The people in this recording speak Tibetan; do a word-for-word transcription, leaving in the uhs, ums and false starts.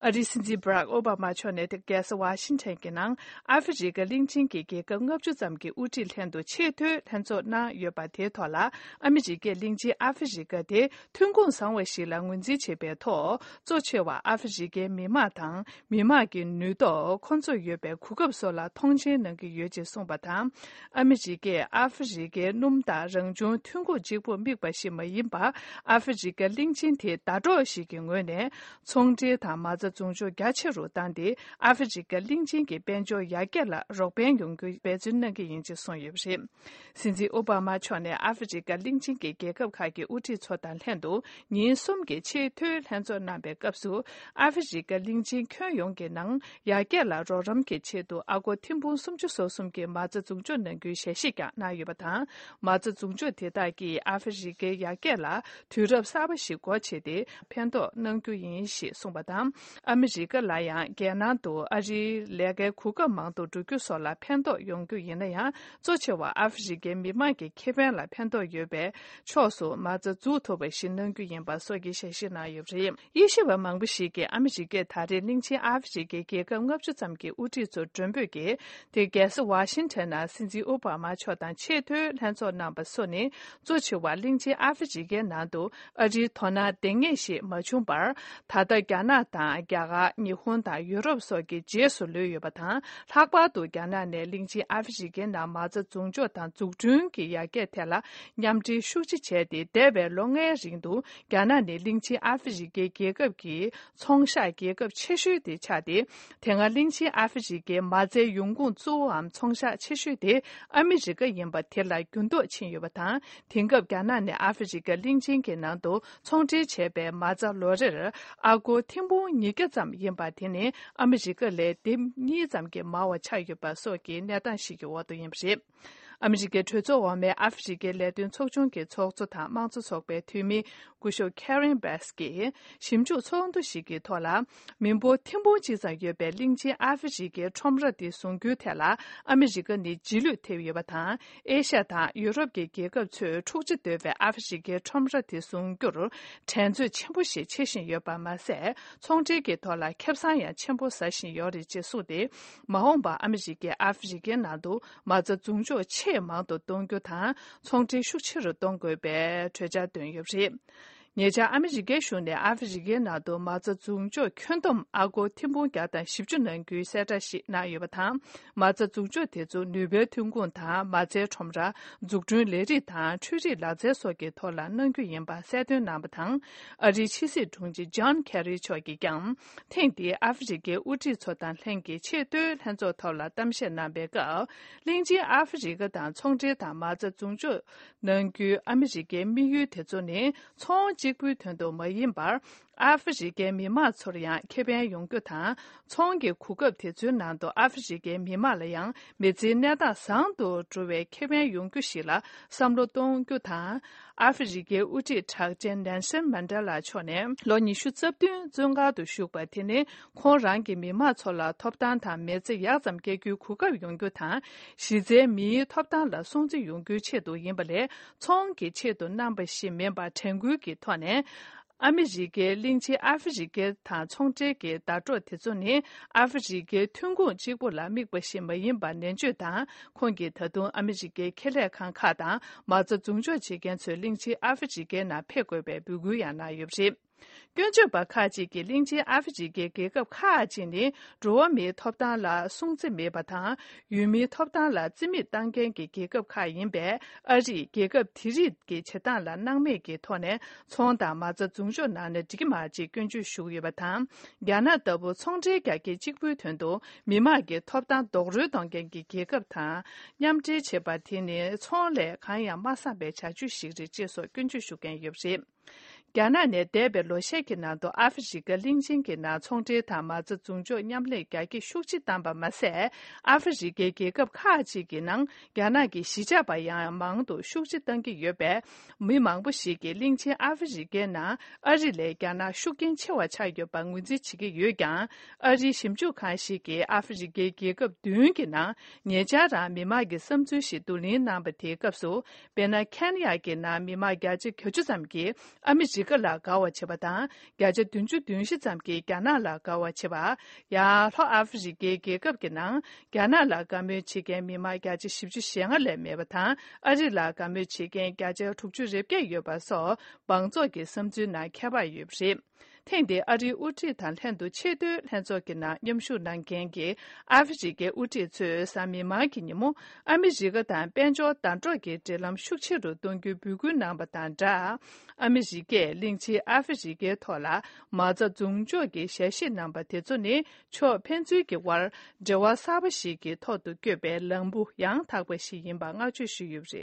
ཨ་རིའི་སྲིད་འཛིན་བྷ་རག་ཨོ་བྷ་མ་མཆོག་ནས་ཏེ་རྒྱལ་ས་ཝ་ཤིང་ཊོན་གྱི་ནང་ཨ་ཧྥེ་རི་ཁ་གླིང་ཆེན་གྱི་རྒྱལ་ཁབ་ལྔ་བཅུ་ཙམ་གྱི་དབུ་ཁྲིད་ལྷན་དུ་ཆེས་མཐོའི་ལྷན་ཚོགས་གནང་ཡོད་པ་དེའི་ཐོག་ལ། ཨ་མི་རི་ཀའི་གླིང་ཆེན་ཨ་ཧྥེ་རི་ཁ་དེ་ཐོན་ཁུངས་བཟང་བ་ཞིག་ལ་ངོས་འཛིན་བྱེད་པའི་ཐོག་གཙོ་ཆེ་བ་ཨ་ཧྥེ་རི་ཁའི་མི་དམངས་དང་མི་དམངས་ཀྱི་ནུས་སྟོབས། ཁོང་ཚོར་ཡོད་པའི་གོ་སྐབས་སོགས་ལ་མཐོང་ཆེན་གནང་གི་ཡོད་ཅེས་གསུངས་པ་དང་། ཨ་མི་རི་ཀས་ཨ་ཧྥེ་རི་ཁའི་སྣུམ་དང་རང་བྱུང་ཐོན་ཁུངས་གཅིག་པུར་དམིགས་པ་ཞིག་མ་ཡིན་པར། ཨ་ཧྥེ་རི་ཁ་གླིང་ཆེན་དེ་ཟླ་གྲོགས་ཤིག་གི་ངོས་ནས་ཚོང་འབྲེལ་དང་མ་རྩ་འཛུགས་སྐྱོང་རྒྱ་ཆེ་རུ་བཏང་སྟེ། ཨ་ཧྥེ་རི་ཁ་གླིང་ཆེན་གྱི་དཔལ་འབྱོར་ཡར་རྒྱས་ལ་རོགས་ཕན་ཡོང་རྒྱུའི་འབད་བརྩོན་གནང་གི་ཡིན་ཅེས་གསུངས་ཡོད་པ་རེད། སྲིད་འཛིན་ཨོ་བྷ་མ་མཆོག་ནས་ཨ་ཧྥེ་རི་ཁ་གླིང་ཆེན་གྱི་རྒྱལ་ཁབ་ཁག་གི་དབུ་ཁྲིད་ཚོ་དང་ལྷན་དུ་ཉིན་གསུམ་གྱི་ཆེས་མཐོའི་ལྷན་ཚོགས་གནང་བའི་སྐབས་སུ། ཨ་ཧྥེ་རི་ཁ་གླིང་ཆེན་ཁྱོན་ཡོངས་ཀྱི་ནང་ཡར་རྒྱས་ལ་རོགས་རམ་གྱི་ཆེད་དུ་ཨ་སྒོར་ཐེར་འབུམ་སུམ་ཅུ་སོ་གསུམ་གྱི་མ་རྩ་འཛུགས་སྐྱོང་གནང་རྒྱུའི་ཞལ་བཞེས་ཀྱང་གནང་ཡོད་པ་དང་། མ་རྩ་འཛུགས་སྐྱོང་དེ་དག་གིས་ཨ་ཧྥེ་རི་ཁའི་ཡར་རྒྱས་ལ་དུས་རབས་གསར་པ་ཞིག་སྒོ་ཕྱེ་སྟེ། ཕན་ཐོགས་གནང་རྒྱུ་ཡིན་ཞེས་གསུངས་པ་དང་། ཨ་མི་རི་ཀ་ལ་ཡང་རྒྱལ་ནང་དུ་ཨ་རིའི་ལས་ཀའི་གོ་སྐབས་མང་དུ་འགྲོ་རྒྱུ་སོགས་ལ་ཕན་ཐོགས་ཡོང་རྒྱུ་ཡིན་ན་ཡང་། གཙོ་ཆེ་བ་ཨ་ཧྥེ་རི་ཁའི་མི་དམངས་ཀྱི་ཁེ་ཕན་ལ་ཕན་ཐོགས་ཡོད་པའི་ཕྱོགས་སུ་མ་རྩ་འཛུགས་ཐུབ་པ་ཞིག་གནང་རྒྱུ་ཡིན་པ་སོགས་ཀྱི་ཞལ་བཞེས་གནང་ཡོད་པ་རེད། དབྱེ་ཞིབ་པ་མང་པོ་ཞིག་གིས་ཨ་མི་རི་ཀས་ད་རེས་གླིང་ཆེན་ཨ་ཧྥེ་རི་ཁའི་རྒྱལ་ཁབ་ལྔ་བཅུ་ཙམ་གྱི་དབུ་ཁྲིད་ཚོ་མགྲོན་འབོད་ཀྱིས། དེ་རྒྱལ་ས་ཝ་ཤིང་ཊོན་ནང་སྲིད་འཛིན་ཨོ་བྷ་མ་མཆོག་དང་ཆེས་མཐོའི་ལྷན་ཚོགས་གནང་པ་སོགས་ནི། གཙོ་ཆེ་བ་གླིང་ཆེན་ཨ་ཧྥེ་རི་ཁའི་ནང་དུ་ཨ་རིའི་དོ་སྣང་ལྡང་ངེས་ཤིག་མ་བྱུང་བར། ད་ལྟ་རྒྱ་ནག་དང་རྒྱ་གར། ཉི་ཧོང་དང་ཡུ་རོབ་སོགས་ཀྱི་རྗེས་སུ་ལུས་ཡོད་པ་དང་། ལྷག་པར་དུ་རྒྱ་ནག་ནས་གླིང་ཆེན་ཨ་ཧྥེ་རི་ཁའི་ནང་མ་རྩ་འཛུགས་འཇོག་དང་འཛུགས་སྐྲུན་གྱི་ཡར་རྒྱས་ཐད་ལ་མཉམ་འབྲེལ་ཤུགས་ཆེ་བྱས་ཏེ། འདས་པའི་ལོ་ལྔའི་རིང་དུ་རྒྱ་ནག་ནི་གླིང་ཆེན་ཨ་ཧྥེ་རི་ཁའི་རྒྱལ་ཁབ་ཀྱི་ཚོང་གཤགས་རྒྱལ་ཁབ་ཆེ་ཤོས་དེ་ཆགས་ཏེ། དེ་སྔ་གླིང་ཆེན་ཨ་ཧྥེ་རི་ཁའི་མ་རྩའི་ཡོང་ཁུངས་གཙོ་བོའམ་ཚོང་གཤགས་ཆེ་ཤོས་དེ་ཨ་མི་རི་ཀ་ཡིན་པ་དེ་ལ་འགྱུར་ལྡོག་ཕྱིན་ཡོད་པ་དང་། དེང་སྐབས་རྒྱ་ནག་ནས་ཨ་ཧྥེ་རི་ཁ་གླིང་ཆེན་གྱི་ནང་དུ་ཚོང་འབྲེལ་བྱས་པའི་མ་རྩ་ལོ་རེར་ཨ་སྒོར་ཐེར་འབུམ་ཉིས་བརྒྱ་ཙམ་ཡིན་པ་དེ་ནི་ཨ་མི་རི་ཀ་ལས་ལྡེབ་གཉིས་ཙམ་གྱིས་མང་བ་ཆགས་ཡོད་པ་སོགས་ཀྱི་གནས་སྟངས་ཤིག་གི་འོག་ཏུ་ཡིན་པ་རེད། ཨ་མི་རི་ཀའི་གྲོས་ཚོགས་འོག་མའི་ཨ་ཧྥེ་རི་ཁའི་ལས་དོན་ཚོགས་ཆུང་གི་ཚོགས་གཙོ་དང་དམངས་གཙོ་ཚོགས་པའི་འཐུས་མི་སྐུ་ཞབས་Karen Bass་གྱིས་ཞིབ་འཇུག་ཚོགས་འདུ་ཞིག་གི་ཐོག་ལ། མི་འབོར་ཐེར་འབུམ་གཅིག་ཙམ་ཡོད་པའི་གླིང་ཆེན་ཨ་ཧྥེ་རི་ཁའི་ཁྲོམ་ར་དེ་བཟུང་རྒྱུའི་ཐད་ལ། ཨ་མི་རི་ཀ་ནི་རྗེས་ལུས་ཐེབས་ཡོད་པ་དང་། ཨེ་ཤ་ཡ་དང་ཡུ་རོབ་ཀྱི་རྒྱལ་ཁབ་ཚོས་འཁྲུག་ཆ་དོད་པའི་ཨ་ཧྥེ་རི་ཁའི་ཁྲོམ་ར་དེ་བཟུང་རྒྱུར་འགྲན་རྩོད་ཆེན་པོ་ཞིག་བྱེད་བཞིན་ཡོད་པ་མ་ཟད། ཚོང་འབྲེལ་གྱི་ཐོག་ལ་ཁེ་བཟང་ཡང་ཆེན་པོ་ཟ་བཞིན་ཡོད་རེད་ཅེས་གསུངས་ཏེ། མ་འོངས་པར་ཨ་མི་རི་ཀས་ཨ་ཧྥེ་རི་ཁའི་ནང་དུ་མ་རྩ་འཛུགས་འཇོག་ཆེས་མང་དུ་གཏོང་རྒྱུ་དང་། ཚོང་འབྲེལ་ཤུགས་ཆེ་རུ་གཏོང་དགོས་པའི་གྲོས་འཆར་བཏོན་ཡོད་པ་རེད། ཉེ་ཆར་ཨ་མི་རི་ཀའི་གཞུང་ནས་ཨ་ཧྥེ་རི་ཁའི་ནང་དུ་མ་རྩ་འཛུགས་འཇོག་ཁྱོན་བསྡོམས་ཨ་སྒོར་ཐེར་འབུམ་བརྒྱ་དང་བཞི་བཅུ་གནང་རྒྱུའི་གསལ་བསྒྲགས་ཤིག་གནང་ཡོད་པ་དང་། མ་རྩ་འཛུགས་འཇོག་དེ་ཚོ་ནུས་པའི་ཐོན་ཁུངས་དང་། མ་རྩའི་ཁྲོམ་ར། འཛུགས་སྐྲུན་ལས་རིགས་དང་། འཕྲུལ་རིག་ལག་རྩལ་སོགས་ཀྱི་ཐོག་ལ་གནང་རྒྱུ་ཡིན་པ་གསལ་སྟོན་གནང་བ་དང་། ཨ་རིའི་ཕྱི་སྲིད་དྲུང་ཆེ་ཇོན་ཁེ་རི་མཆོག་གིས་ཀྱང་། ཐེངས་འདིའི་ཨ་ཧྥེ་རི་ཁའི་དབུ་ཁྲིད་ཚོ་དང་ལྷན་གྱི་ཆེས་མཐོའི་ལྷན་ཚོགས་ཐོག་ལ་གཏམ་བཤད་གནང་བའི་སྐབས། གླིང་ཆེན་ཨ་ཧྥེ་རི་ཁ་དང་ཚོང་འབྲེལ་དང་མ་རྩ་འཛུགས་འཇོག་གནང་རྒྱུའི་ཨ་མི་རི་ཀའི་དམིགས་ཡུལ་དེ་ཚོ་ནི་ཚོང་གཅིག་པུའི་དོན་དུ་མ་ཡིན་པར། ཨ་ཧྥེ་རི་ཁའི་མི་དམངས་ཚོར་ཡང་ཁེ་ཕན་ཡོང་རྒྱུ་དང་། ཚོང་གི་གོ་སྐབས་དེ་ཚོའི་ནང་དུ་ཨ་ཧྥེ་རི་ཁའི་མི་དམངས་ལ་ཡང་མི་ཚེའི་གནས་སྟངས་བཟང་དུ་འགྲོ་བའི་ཁེ་ཕན་ཡོང་རྒྱུ་ཞིག་ལ་བསམ་བློ་གཏོང་རྒྱུ་དང་། ཨ་ཧྥེ་རི་ཁའི་དབུ་ཁྲིད་གྲགས་ཅན་ནེལ་སན་མན་ཌེ་ལ་མཆོག་ནས་ལོ་ཉི་ཤུ་རྩ་བདུན་བཙོན་ཁང་དུ་བཞུགས་པ་དེ་ནི། ཁོང་རང་གི་མི་དམངས་ཚོ་ལ་ཐོབ་ཐང་དང་མི་ཚེ་ཡག་ཙམ་སྐྱེལ་རྒྱུའི་གོ་སྐབས་ཡོང་རྒྱུ་དང་། གཞི་རྩའི་མིའི་ཐོབ་ཐང་ལ་སྲུང་བརྩི་ཡོང་རྒྱུའི་ཆེད་དུ་ཡིན་པ་ལས། ཚོང་གི་ཆེད་དུ་གནང་བ་ཞིག་མིན་པར། དྲན་སྐུལ་གྱི་ཐོག་ནས། ཨ་མི་རི་ཀའི་གླིང་ཆེན་ཨ་ཧྥེ་རི་ཁའི་དང་ཚོང་འབྲེལ་གྱི་ཟླ་གྲོགས་དེ་ཚོ་ནི། ཨ་ཧྥེ་རི་ཁའི་ཐོན་ཁུངས་གཅིག་པུ་ལ་དམིགས་པ་ཞིག་མ་ཡིན་པར། ནན་བརྗོད་དང་། ཁོང་གིས་ད་དུང་ཨ་མི་རི་ཀའི་ཁེ་ལས་ཁང་ཁག་དང་མ་རྩ་འཛུགས་འཇོག་བྱེད་མཁན་ཚོས་གླིང་ཆེན་ཨ་ཧྥེ་རི་ཁའི་ནང་ཕེབས་དགོས་པའི་འབོད་སྐུལ་ཡང་གནང་ཡོད་པ་རེད། སྐྱོན་བརྗོད་པ་ཁག་ཅིག་གིས་གླིང་ཆེན་ཨ་ཧྥེ་རི་ཁའི་རྒྱལ་ཁབ་ཁག་ཅིག་ནི་འགྲོ་བ་མིའི་ཐོབ་ཐང་ལ་སྲུང་བརྩི་མེད་པ་དང་། ཡུལ་མིའི་ཐོབ་ཐང་ལ་རྩིས་མེད་བཏང་མཁན་གྱི་རྒྱལ་ཁབ་ཁག་ཡིན་པས། ཨ་རིས་རྒྱལ་ཁབ་དེ་རིགས་ཀྱི་བྱེད་སྟངས་ལ་སྣང་མེད་ཀྱི་ཐོག་ནས་ཚོང་དང་མ་རྩ་འཛུགས་འཇོག་གནང་ན་འགྲིག་གི་མ་རེད་ཅེས་སྐྱོན་བརྗོད་ཞུ་གི་ཡོད་པ་དང་། རྒྱ་ནག་ལྟ་བུ་ཚོང་འབྲེལ་རྒྱ་སྐྱེད་གཅིག་པུའི་དོན་དུ་མི་དམངས་ཀྱི་ཐོབ་ཐང་རྡོག་རོལ་གཏོང་མཁན་གྱི་རྒྱལ་ཁབ་དང་མཉམ་འབྲེལ་བྱེད་པ་དེ་ནི་ཚོང་ལས་གང་ཡང་མ་བསམ་པའི་བྱ་སྤྱོད་ཞིག་རེད་ཅེས་སོགས་སྐྱོན་བརྗོད་ཞུ་མཁན་ཡོད་པ་རེད། རྒྱ་ནག་ནས་འདས་པའི་ལོ་ཤས་ཀྱི་ནང་དུ་ཨ་ཧྥེ་རི་ཁ་གླིང་ཆེན་གྱི་ནང་ཚོང་འབྲེལ་དང་མ་རྩ་འཛུགས་འཇོག་མཉམ་ལས་རྒྱ་སྐྱེད་ཤུགས་ཆེ་བཏང་པ་མ་ཟད། ཨ་ཧྥེ་རི་ཁའི་རྒྱལ་ཁབ་ཁག་ཅིག་གི་ནང་རྒྱ་ནག་གི་གཞིས་ཆགས་པ་ཡང་མང་དུ་ཤུགས་ཆེ་བཏང་གི་ཡོད་པས། མི་མང་པོ་ཞིག་གིས་གླིང་ཆེན་ཨ་ཧྥེ་རི་ཁའི་ནང་ཨ་རི་ལས་རྒྱ་ནག་ཤུགས་རྐྱེན་ཆེ་བ་ཆགས་ཡོད་པར་ངོས་འཛིན་བྱེད་ཀྱི་ཡོད་ཀྱང་། ཨ་རིའི་ཞིབ་འཇུག་ཁང་ཞིག་གིས་ཨ་ཧྥེ་རི་ཁའི་རྒྱལ་ཁབ་བདུན་གྱི་ནང་ཉེ་ཆར་རང་མི་མང་གི་བསམ་ཚུལ་ཞིག་བསྡུ་ལེན་གནང་པ་དེའི་སྐབས་སུ། དཔེར་ན། ཁེན་ཡ་གི་ནང་མི་མང་བརྒྱ་ཆ་གྱ་བཅུ་ཙམ་གྱིས་ཨ་མི་ རི་ཀ་ལ་དགའ་བ་བྱེད་པ་དང་། བརྒྱ་ཆ་བདུན་ཅུ་དོན་བཞི་ཙམ་གྱིས་རྒྱ་ནག་ལ་དགའ་བ་བྱེད་པ། ཡང་ལྷོ་ཨ་ཧྥེ་རི་ཀའི་རྒྱལ་ཁབ་ཀྱི་ནང་རྒྱ་ནག་ལ་དགའ་མོས་བྱེད་མཁན་མི་མང་བརྒྱ་ཆ་བཞི་བཅུ་ཞེ་ལྔ་ལས་མེད་པ་དང་། ཨ་རི་ལ་དགའ་མོས་བྱེད་མཁན་བརྒྱ་ཆ་དྲུག་ཅུ་རེ་བརྒྱད་ཡོད་པ་སོགས་མང་ཚོགས་ཀྱི་བསམ་ཚུལ་ནང་ཁྱད་པར་ཡོད་པ་རེད། ཐེངས་འདིའི་ཨ་རིའི་དབུ་ཁྲིད་དང་ལྷན་དུ་ཆེས་མཐོའི་ལྷན་ཚོགས་ཀྱི་ནང་མཉམ་ཞུགས་གནང་མཁན་གྱི་ཨ་ཧྥེ་རི་ཀའི་དབུ་ཁྲིད་ཚོས་གཟའ་མིག་དམར་གྱི་ཉིན་མོ་ཨ་མི་རི་ཀ་དང་དཔལ་འབྱོར་ཟླ་གྲོགས་ཀྱི་འབྲེལ་ལམ་ཤུགས་ཆེ་རུ་གཏོང་རྒྱུའི་འབོད་སྐུལ་གནང་བ་དང་སྦྲགས། ཨ་མི་རི་ཀས་གླིང་ཆེན་ཨ་ཧྥེ་རི་ཀའི་ཐོག་ལ་མ་རྩ་རྫོང་འཇོག་གི་ཞལ་བཞེས་གནང་བ་དེ་ཚོ་ནི་ཕྱོགས་ཕན་ཚུན་གྱི་དབར་འབྲེལ་བ་གསར་པ་ཞིག་གི་ཐོག་ཏུ་བསྐྱོད་པའི་ལམ་བུ་ཡང་དག་པ་ཞིག་ཡིན་པ་བསྔགས་བརྗོད་ཞུས་ཡོད་པ་རེད།